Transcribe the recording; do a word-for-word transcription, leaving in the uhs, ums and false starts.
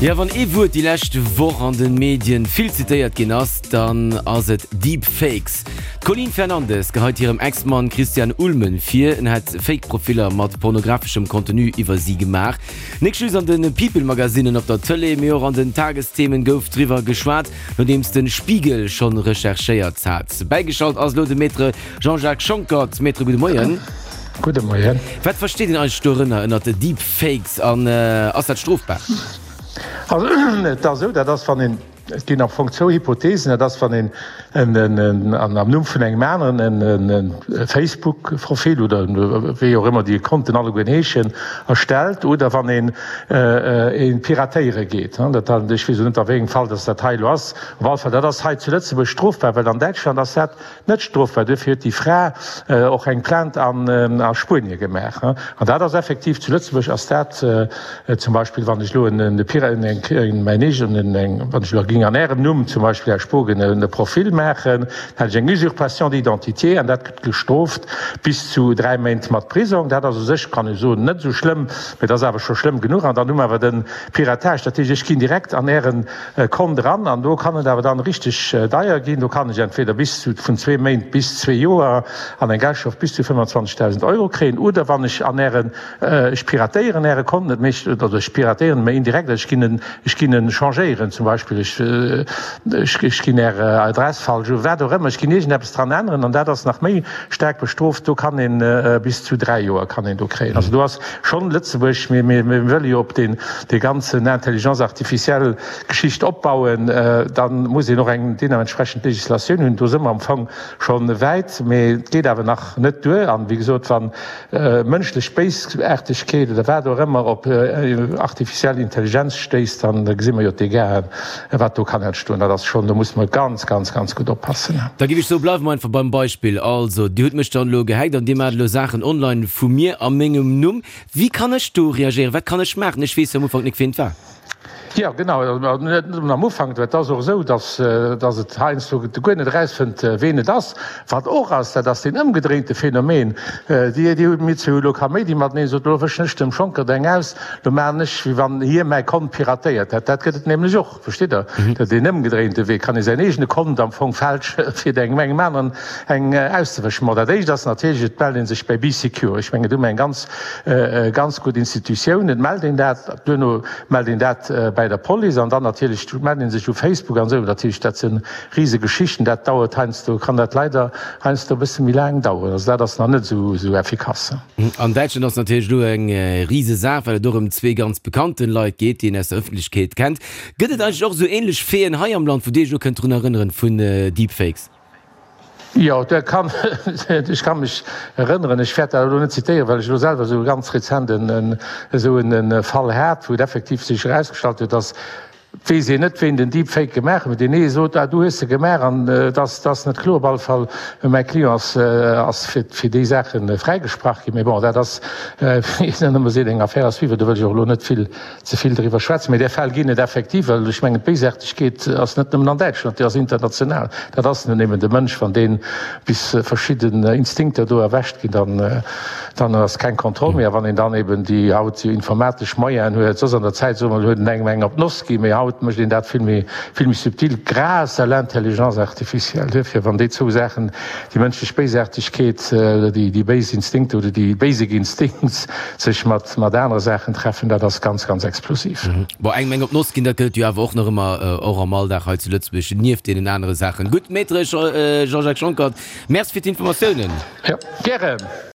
Jo, wann ee Wuert déi lescht Woch an de Medien vill zitéiert ginn ass, dann ass et Deepfakes. D'Coline Fernandes geheit hirem Ex-Mann Christian Ulmen vir, en hätt Fake-Profiller mat pornographeschem Contenu iwwer si gemaach. Nik just an de People-Magasinnen, op der Tëlee, mee och an den Tagesthemen gouf driwwer geschwat, nodeems de Spiegel schonn recherchéiert hat. Bäigeschalt ass elo de Maître Jean-Jacques Schonckert. Maître, gudde Moien. Gudde Moien. Wat versteet een eigentlech dorënner, ënnert Deepfakes, an ass dat strofbar? Also et ass esou, dat ass wann een, et ginn am Fong zwou Hypothesen, dat ass wann een en, en, an am Numm vun engem aneren en, en Facebook-Profil oder wéi och ëmmer déi Konten allegueren heeschen, erstellt oder wann een een piratéiere geet. Dat, ech weess elo net a wéi engem Fall datt dat hei elo ass, op alle Fall dat ass hei zu Lëtzebuerg strofbar, well an Däitschland ass dat net strofbar. Duerfir huet déi Fra och eng Plainte an a Spuenie gemaach. An dat ass effektiv, zu Lëtzebuerg ass dat zum Beispill, wann ech elo en Pira-, en, eng, mäin eegenen, eng, wann ech elo géing an Ärem Numm zum Beispill, Här Spogen, e Profil maachen, dann hätt ech eng Usurpation d'identité an dat gëtt gestrooft bis zu dräi Méint mat Prisong. Dat ass u sech, kann ee soen, net esou schlëmm, mä et ass awer scho schlëmm genuch. An dann hu mer awer de Piratage, dat heescht, ech ginn direkt an Äre Kont eran an do kann et awer dann richteg deier ginn. Do kann ech entweder bis zu vun zwee Méint bis zwee Joer an eng Geldstrof bis zu fëmmendzwanzegdausend Euro kréien oder wann ech an Ären, ech piratéieren Äre Kont net, mee ech, oder ech piratéieren en, mä indirekt, ech ginn en, ech ginn en changéieren zum Beispill, ech, ech, ech ginn Är Adress falsch u, wat och ëmmer, ech ginn iergendeppes dran änneren an dat ass nach méi staark bestrooft, do kann een bis zu dräi Joer kann een do kréien. Also do ass schonn Lëtzebuerg, mir, mir, mir wëlle jo op deen, dee ganzen Intelligence artificielle Geschicht opbauen, da muss een och eng deementsprechend Legislatioun hunn. Do si mer am Fong scho wäit, mee et geet awer nach net duer. An, wéi gesot, wa mënschlech Béisaartegkeet oder wat och ëmmer op artificiell Intelligenz stéisst, da gesi mer jo d'Dégâten, wat do kann entstoen. Dat ass schonn, do muss mer ganz, ganz, ganz gutt oppassen. Da géif ech soen, bleiwe mer einfach beim Beispill. Also, Dir hutt mech dann elo gehackt an Dir maacht elo Saachen online vu mir a mengem Numm. Wéi kann ech do reagéieren? Wat kann ech maachen? Ech weess jo am Ufank nik, wien et war. Jo, genau, net nëmmen am Ufank. Et ass och esou, datt datt et heiansdo guer net erausfënnt, ween et ass. Wat och ass, dat ass deen ëmgedréinte Phänomen. Dir, Dir hutt mir zwee hu elo Kaméidi mateneen, sot, elo wëschen ech dem Schonckert eng aus, lo maachen ech, wéi wann hie mäi Kont piratéiert hätt. Dat gëtt et nämlech och, versteet Der? Dat deen ëmgedréinte Wee, kann ee säin eegene Kont am Fong fälsche fir engem engem aneren eng auszewëschen. Bon, dat éischt ass natierlech, et mellt ee sech bäi Bee Secure. Ech mengen, do hu mer eng ganz, ganz gutt Institutioun. Et mellt een dat, duerno mellt een dat bäi der Police an dann natierlech mellt een sech u Facebook an esou. Natierlech, dat si rise Geschichten, dat dauert heiansdo, kann dat leider heiansdo e bësse méi laang daueren. Also dat ass nach net esou esou effikass. An Däitschland ass natierlech elo eng rise Saach, well et och ëm zwee ganz bekannten Leit geet, déi een aus der Ëffentlechkeet kennt. Gëtt et eigentlech och esou änlech Faiten hei am Land, wou Dir Iech elo kënnt drun erënneren, vun Deepfakes? Jo, dat kann, ech ka mech erënneren, ech wäert dat elo net zitéieren, well ech elo selwer esou ganz rezent en esou en Fall hat, wou et effektiv sech erausgestallt huet, dass, et weess een net, ween den Deepfake gemaach huet, deen ee sot, ah, du hues se gemaach, an et ass, et ass net kloer. Op alle Fall, mäi Client ass, ass fir, fir déi Saache fräigesprach ginn. Mee bon, dat ass, wéi een ëmmer seet, eng Affaire à suivre, do wëll ech och elo net vill ze vill driwwer schwätzen, mee där Fäll ginn et effektiv, well ech mengen, d'Béisaartegkeet ass net nëmmen an Däitschland, déi ass international. Dat ass nun eben de Mënsch, wann dee bis verschidden Instinkter do erwächt ginn, dann, dann ass keng Kontroll méi. A wann een dann eben déi haut informatesch Moyenen huet, soss an der Zäit, soe mer, huet en engem eng op d'Noss ginn, mee haut mécht een dat vill méi, vill méi subtil grâce à l'intelligence artificielle. Duerfir, wann déi zwou Saachen, déi mënschlech Béisaartegkeet oder déi, déi béis Instinkter oder déi basic instincts sech mat, mat anere Saachen treffen, dat ass ganz, ganz explosiv. Bon, engem eng op d'Noss ginn, dat gëtt et jo awer och nach ëmmer, och am Alldag hei zu Lëtzebuerg, nieft deenen anere Saachen. Gutt, Maître Jean-Jacques Schonckert, Merci fir d'Informatiounen. Jo, gären.